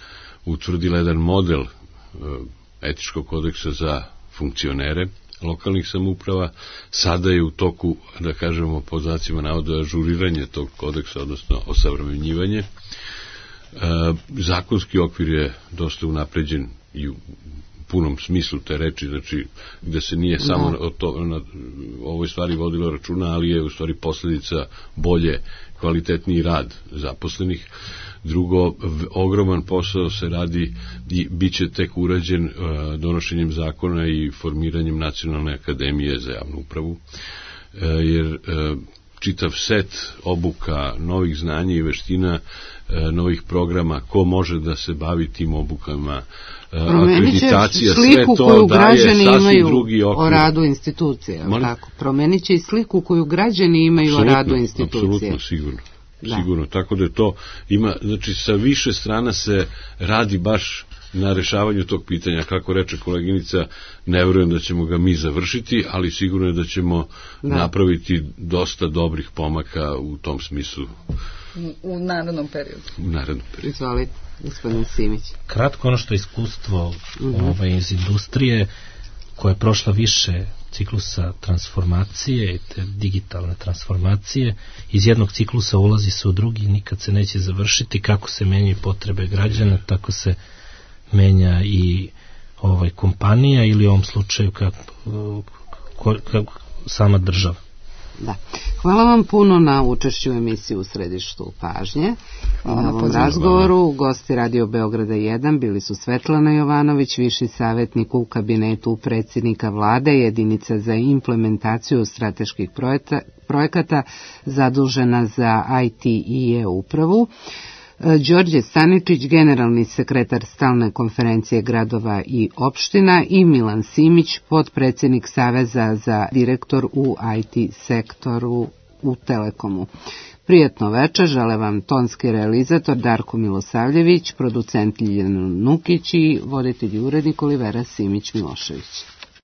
utvrdila jedan model etičkog kodeksa za funkcionere lokalnih samouprava. Sada je u toku, da kažemo, pod znacima navoda, ažuriranje tog kodeksa, odnosno osavremenjivanje. Zakonski okvir je dosta unapređen i u punom smislu te reči, znači gde se nije samo no. o, to, na ovoj stvari vodilo računa, ali je u stvari posledica bolje, kvalitetniji rad zaposlenih. Drugo, ogroman posao se radi i bit će tek urađen uh, donošenjem zakona i formiranjem Nacionalne akademije za javnu upravu, uh, jer uh, čitav set obuka, novih znanja i veština, novih programa, ko može da se bavi tim obukama, akreditacija, sve to daje sasvim drugi okvir. O radu institucije, tako? Promenit će i sliku koju građani imaju absolutno, o radu institucije. Apsolutno, sigurno. Da. Sigurno, tako da to ima, znači sa više strana se radi baš na rešavanju tog pitanja, kako reče koleginica, ne verujem da ćemo ga mi završiti, ali sigurno je da ćemo da. napraviti dosta dobrih pomaka u tom smislu. U narednom periodu. U narednom periodu. Izvolite, gospodin Simić. Kratko, ono što je iskustvo mm-hmm. ovaj, iz industrije, koja je prošla više ciklusa transformacije i te digitalne transformacije, iz jednog ciklusa ulazi se u drugi, nikad se neće završiti. Kako se menjaju potrebe građana, tako se menja i ovaj, kompanija ili u ovom slučaju kako, kako sama država. Da. Hvala vam puno na učešću u emisiji U središtu pažnje. Hvala na ovom razgovoru gosti Radio Beograda jedan bili su Svetlana Jovanović, viši savjetnik u kabinetu predsjednika vlade, jedinica za implementaciju strateških projekata zadužena za I T i e-upravu, Đorđe Staničić, generalni sekretar stalne konferencije gradova i opština, i Milan Simić, potpredsjednik Saveza za direktor u I T sektoru u Telekomu. Prijetno večer, žele vam tonski realizator Darko Milosavljević, producent Ljiljana Nukić i voditelj i urednik Olivera Simić-Milošević.